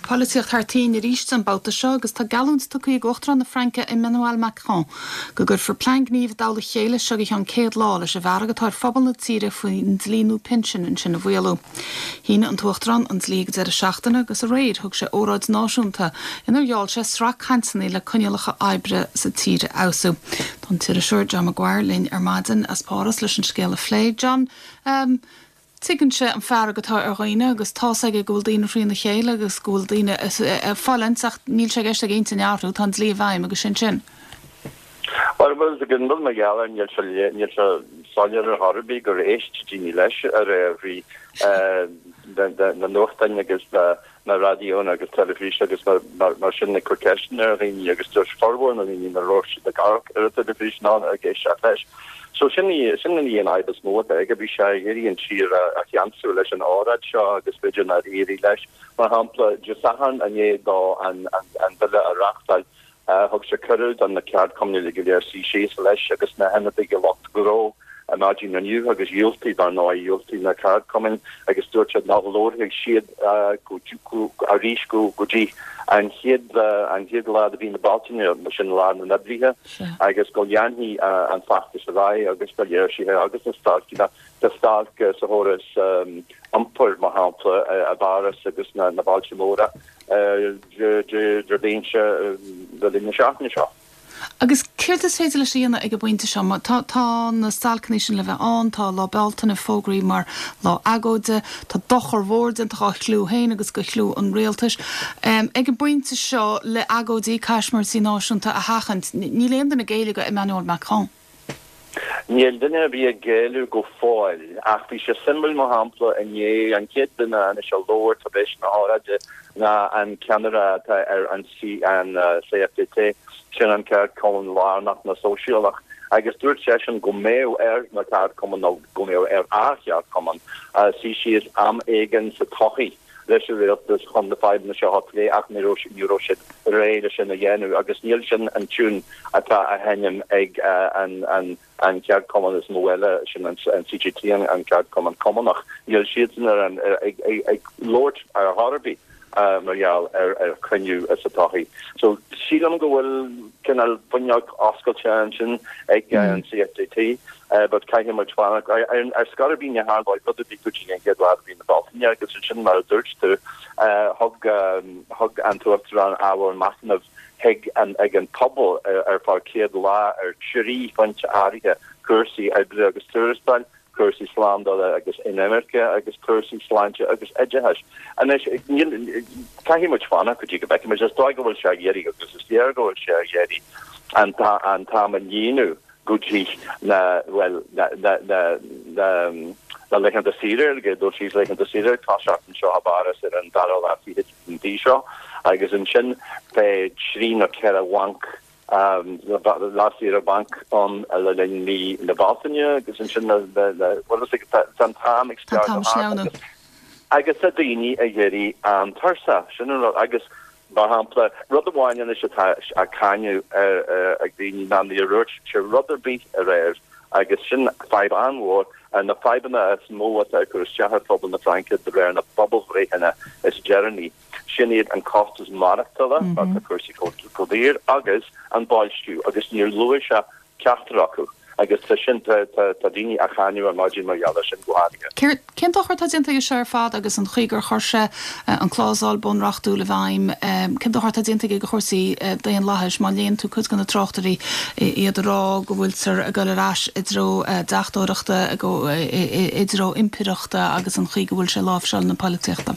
Polaitíocht thar toinn arís an babhta seo agus tá geallúint tugtha ag Uachtarán na Fraince Emmanuel Macron go gcuirfear plean gnímh i dtoll a chéile as seo go ceann 100 lá leis an bhfearg atá ar phobal na tíre faoin dlí nua pinsin ansin a mhaolú. Shínigh an tUachtarán an dlí ag an deireadh seachtaine agus aréir thug sé óráid náisiúnta inar gheall sé sraith cainteanna le coinníollacha oibre sa tír a fheabhsú. Tá an t-iriseoir John Maguire linn ar maidin as Páras leis an scéal a phlé. John, Tuigeann sé an fearg atá ar dhaoine agus tá's aige go bhfuil daoine thrína chéile agus go bhfuil daoine ag fulaingt ach níl sé i gceist aige intinn a athrú, tá an dlí i bhfeidhm agus sin sin. Bhuel, bhfuil a fhios agat mar gheall air, níl sé, níl sé soiléir ar chor ar bith gur éist daoine leis aréir bhí na nuachtáin agus na na raidiónna agus teilifís agus mar sin ag cur ceisteanna ar dhaoine agus dúirt formhór na ndaoine nach raibh siad ag amharc ar an teilifís ná ag éisteacht leis. So sin í sin í an fhadhb is mó atá aige. Bhí sé ag iarraidh an tír a cheansú leis an óráid seo agus b'fhéidir nár éirigh leis. Mar shampla, Dé Sathairn i ndiaidh dó an an bille a reáchtáil, Thug sé cuireadh do na ceardchumainn uilig go léir suí síos leis agus na hionadaithe lucht gnó ar maidin inniu agus dhiúltaigh, dar ndóigh, dhiúltaigh na ceardchumainn agus dúirt siad nach labharfaidh siad arís go dtí an chéad an chéad lá de mhí na Bealtaine, sin Lá na nOibrithe, agus go leanfaidh an feachtas ar aghaidh agus na léirsithe agus na stailceanna, tá stailc sa chóras iompair, mar shampla, i bPáras agus na bailte móra. Déardaoin seo le linn na seachtaine seo. Agus céard is féidir leis a dhéanamh ag an bpointe seo? Tá tá na stailceanna sin le bheith ann, tá Lá Bealtaine fógraithe mar lá agóide, tá dochar mhór déanta dhá chliú féin agus do chliú an rialtais. Ag an bpointe seo, le agóidí caismirtí náisiúnta a sheachaint, níl aon duine ag géilleadh do Emmanuel Macron. Níl duine ar bith ag géilleadh go fóill, ach bhí sé suimiúil, mar shampla, inné, an chéad duine anois a labhair tar éis na hóráide ná an ceannaire atá ar an CFDT, sin an ceardchumann lárnach na Sóisialach, agus dúirt seisean go mbeadh ar na ceardchumainn, nó go mbeadh ar a cheardchumann, suí síos am éigin sa todhchaí. leis an rialtas chun na fadhbanna seo a phlé ach ní raibh ní raibh siad réidh le sin a dhéanamh agus níl sin an tiún atá á sheinm ag an an an ceardchumann is mó eile, sin an CGT, an ceardchumann cumannach. Níl siadsan ar an ag ag ag labhairt ar chor ar bith mar gheall ar ar chruinniú sa todhchaí. So sílim go bhfuil cineál fuinneog oscailte ansin ag an CFDT. But caithfidh muid fanacht. Ar scor ar bith ní tharlóidh rud ar bith go dtí an chéad lá de mhí na Bealtaine agus ansin mar a dúirt tú thug thug an tUachtarán ábhar machnaimh chuig an ag an pobal ar feadh 100 lá ar thrí phointe áirithe, cúrsaí oibre agus tuarastail, cúrsaí slándála agus inimirce agus cúrsaí sláinte agus oideachais. Anois níl caithfidh muid fanacht go dtí go bhfeicfidh muid. Is dóigh go bhfuil sé ag iarraidh agus is léir go bhfuil sé ag iarraidh an t-am a líonadh go dtí na, bhuel, na, na, na, na, na laethanta saoire, ag dul síos laethanta saoire ag toiseacht anseo i bPáras ar an dara lá fichead den mhí seo agus ansin beidh trí nó ceithre bhanc, lá saoire bainc ann le linn mí na Bealtaine agus ansin na, na, na, bhuel, is tá an t-am ag Tá an t-am sleamhnú. Agus tá daoine ag éirí an-tuirseach, sin an rud, agus Mar shampla, rud amháin anois atá á cáineadh ag daoine ná níor dhúirt sé rud ar bith aréir agus sin fadhb an-mhór. Ar na fadhbanna is mó atá ag cur isteach ar phobal na Fraince de réir na bpobalbhreitheanna is deireanaí, sin iad an costas maireachtála, mar tá cúrsaí chomh daor, agus an boilsciú agus níor luaigh sé ceachtar acu agus tá sin, tá daoine á cháineadh ar maidin mar gheall air sin go háirithe. Céard, cén dochar atá déanta aige seo ar fad agus an chaoi gur chuir sé an clásal bunreachtúil i bhfeidhm, cén dochar atá déanta aige do chúrsaí daonlathais má léann tú cuid de na tráchtairí, iad ag rá go bhfuiltear ag dul ar ais i dtreo deachtóireachta, i dtreo impireachta agus an chaoi go bhfuil sé ag láimhseáil na polaitíochta?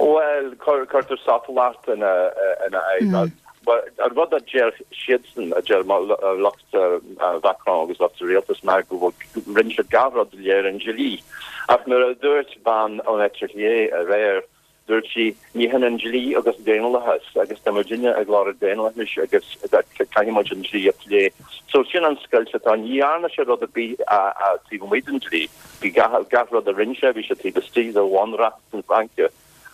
Bhuel, cuirtear sotalacht ina aghaidh. An rud a deir siadsan, a deir lucht Mhacron agus lucht an rialtais ná go bhfuil, rinne siad gach rud de réir an dlí. Ach nuair a dúirt bean ón eite chlé aréir, dúirt sí, ní hionann dlí agus daonlathas agus tá muidinne ag lorg daonlathais agus caithfidh muid an dlí a phlé. So sin an scoilt atá ann. Ní dhearna sé rud ar bith taobh amuigh den dlí. Bhí gach rud a rinne sé, bhí sé taobh istigh de bhunreacht na Fraince.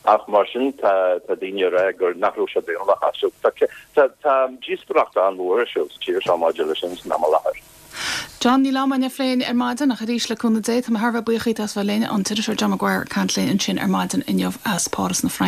Ach mar sin tá daoine ag rá gur nach raibh sé daonlathach. So tá tá díospóireacht an-mhór ar siúl sa tír seo maidir leis sin san am i láthair. John, níl am againn a phlé ar maidin ach arís le cúnamh Dé, tá mé thar a bheith buíoch díot as bheith linn, an t-iriseoir John Maguire ag caint linn ansin ar maidin inniu as Páras na Fraince.